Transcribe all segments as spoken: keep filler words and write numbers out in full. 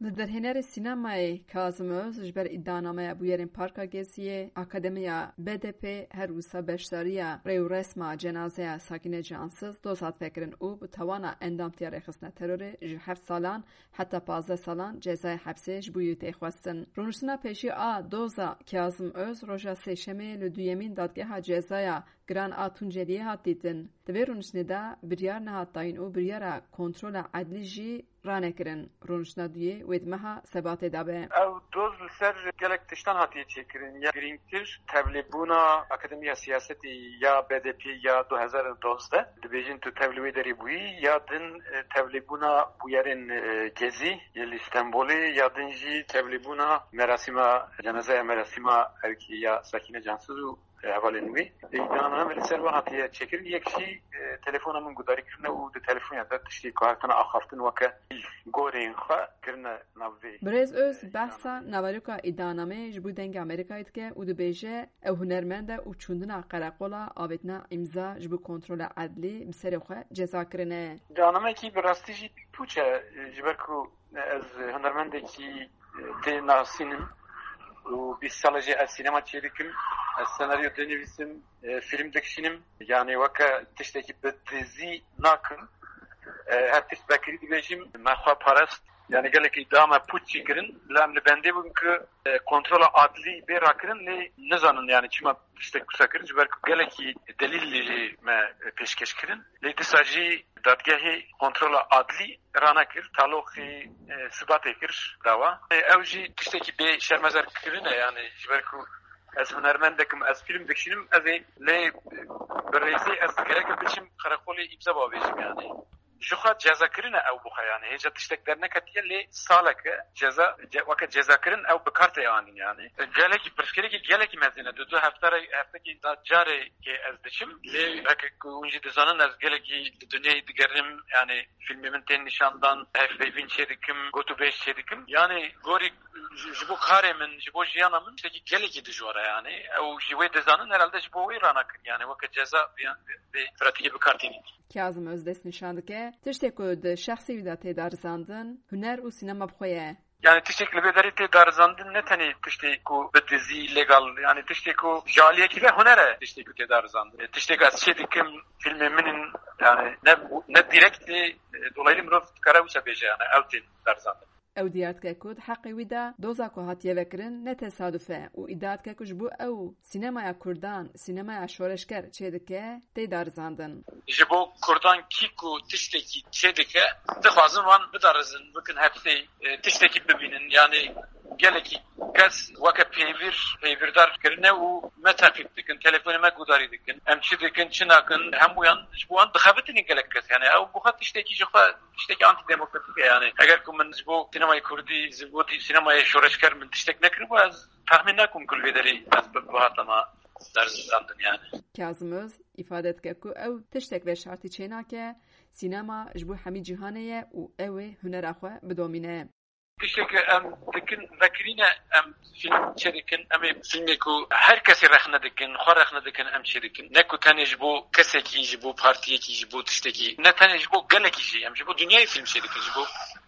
Li derhênerê sînemayê Kazim Öz ji ber îdianameya bûyerên Parka Geziyê, Akademiya B D P her wisa beşdariya rêwresma cenazeya Sakîne Cansiz doz hat vekirin û bi tawana endamtiya rêxistina terorê ji heft salan heta pazdeh salan cezayê hepsê ji bo wî tê xwestin. Rûniştina pêşî a doza Kazim Öz roja Sêşemê li duyemîn dadgeha cezaya giran a Tunceliyê hat dîtin. Di vê rûniştinê de biryar nehat dayîn û biryara kontrola edlî jî ranekirin. Rûniştina duyê wê di meha Sebatê de be. Ew doz li ser gelek tiştan hatiye çêkirin. Ya girîngtir, tevlîbûna Akademiya Siyasetê ya B D P ya du hezar û dozdeh. Dibêjin tu tevlî wê derê bûyî, ya din, e, tevlîbûna bûyerên, e, Gezî yê li Stenbolê, ya din jî tevlîbûna merasîma, cenazeya merasîma erkê ya Sakîne Cansiz û hevalên wî. Îdianame li ser we hatiye çêkirin. Yek jî, e, telefona min gudarî kirine û di telefonê de tiştê ku hatine axaftin weke gorên xwe kirine nav vê. Birêz Öz behsa naveroka îdianameyê ji bo Dengê Amerîkayê dike û dibêje, ew hunermend e û çûndina qereqola avêtina îmza ji bo kontrola edlî bi serê xwe ceza kirine. Îdianameyekî bi rastî jî pûç e, ji ber ku ez hunermendekî tê nasînim û bîst sal e jî ez sînema çêdikim, ez senaryo dinivîsim, e, fîlm dikişînim. Yanî weke tiştekî bi dizî nakim. E, her tişt vekirî dibêjim, me xwe parest. Yanî gelekî da me pûç çêkirin, lê em li bendê bûn ku, e, kontrola adlî bê rakirin, lê nizanin yanî çima tiştek wisa kirin, ji ber ku gelekî delîl jî me pêşkeş kirin. Lê dîsa jî dadgehê kontrola adlî ranekir, taloqî, e, Sibatê kir dawa. E, ew jî tiştekî bê şermezar kirine, yanî ji ber ku ez hunermendekim, ez fîlm dikişînim, ez ê lê, e, bi rêzê ez gerek biçim qereqolê îmza bavêjim yanî. Ji xwe ceza kirine ew bi xwe yanî. Hêja tiştek derneketiye lê saleke ceza, ce-, weke ceza kirin ew bi kar tê anîn yanî. Gelekî pirsgirêkî gelekî mezin e. Du, du hefte re, heftekî da carekê ez diçim. Lê weke ku hûn jî dizanin ez gelekî di dinyayê digerim yanî. Fîlmê min tên nîşandan, hevpeyvîn çêdikim, gotûbêj çêdikim. Yanî gorî ji, ji bo karê min, ji bo jiyana min tiştekî gelekî dijwar e yanî. Ew jî wê dizanin herhalde ji bo wê ranakir. Yanî weke ceza vê, vê, vê pratîkê bi kar tînin. Kazim Öz dest nîşan dike, tiştê ku di şexsê wî de tê darizandin, huner û sînema bi xwe ye. Yanî tiştê ku li vê derê tê darizandin ne tenê tiştê ku bi dizî, legal, yanî tiştê ku ji aliyekî ve huner e, tiştê ku tê darizandin. E, tiştê ku ez çê dikim, fîlmê min in, yanî ne, ne direkt tê, e, dolaylı mirov dikare wisa bêje, yanî ew tên darizandin. Ew diyar dike ku di heqê wî de doza ku hatiye vekirin ne tesaduf e û îdia dike ku ji bo ew sînemaya kurdan, sînemaya şoreşger çêdike, tê darizandin. Ji bo kurdan kî ku tiştekî çêdike, dixwazin wan bidarizin, bikin hepsê, e, tiştekî bibînin. Yanî gelekî kes weke pêvîr, pêvîrdar kirine û me teqîb dikin, telefonê me gudarî dikin. Em çi dikin, çi nakin, hemûyan ji bo wan dixebitînin gelek kes. Yanî ew bi xwe tiştekî ji xwe tiştekî antîdemokratîk e yanî. Eger ku min ji bo sînemayê kurdî, ji bo sînemayê şoreşger min tiştek nekiribû, ez texmîn nakim ku li vê derê ez bi-, bihatama darizandin yanî. Kazim Öz îfade dike ku ew tiştek veşartî çênake, sînema ji bo hemî cîhanê ye û ew ê hunera xwe bidomîne. Tiştê ku em dikin, vekirîne em fîlm çêdikin, em ê fîlmê ku her kesê rexne dikin, xwe rexne dikin, em çêdikin. Ne ku tenê ji bo kesekî, ji bo partiyekî, ji bo tiştekî, ne tenê ji bo gelekî jî, em ji bo dinyayê fîlm çêdikin, ji bo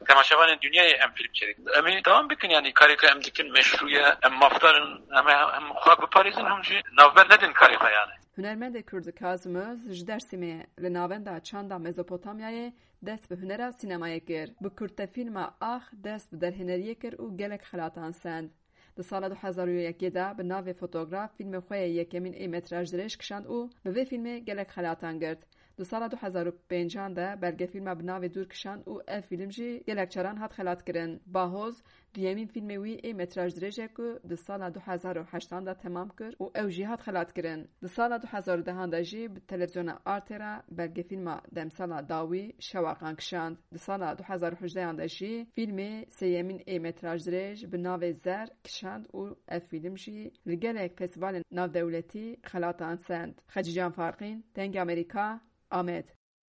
temaşevanên dinyayê em fîlm çêdikin. Em ê dewam bikin, yanî karê ku em dikin meşrû ye, em mafdar in, em ê hem xwe biparêzin, hem jî navber nedin karê xwe yanî. Hunermendê Kurd Kazim Öz ji Dêrsimê li Navenda Çanda Mezopotamyayê dest bi hunera sînemayê kir. Bi kurtefîlma Ax dest bi derhêneriyê kir û gelek xelatan send. Di sala du hezar û yekê de bi navê Fotograf fîlmê xwe yê yekemîn ê metrajdirêj kişand û bi vê fîlmê gelek xelatan girt. Di sala du hezar û pêncan de belgefîlma bi navê Dûr kişand û ev fîlm jî gelek caran hat xelatkirin. Bahoz, duyemîn fîlmê wî ê metrajdirêj e ku di sala du hezar û heştan de temam kir û ew jî hat xelatkirin. Di sala du hezar û dehan de jî bi televîzyona Arte re belgefîlma Demsala Dawî Şewaqan kişand. Di sala du hezar û hejdehan de jî fîlmê sêyemîn ê metrajdirêj bi navê Zer kişand û ev fîlm jî li gelek festîvalên navdewletî xelatan send. Xecîcan Farqîn, Dengê Amerîka, Amed.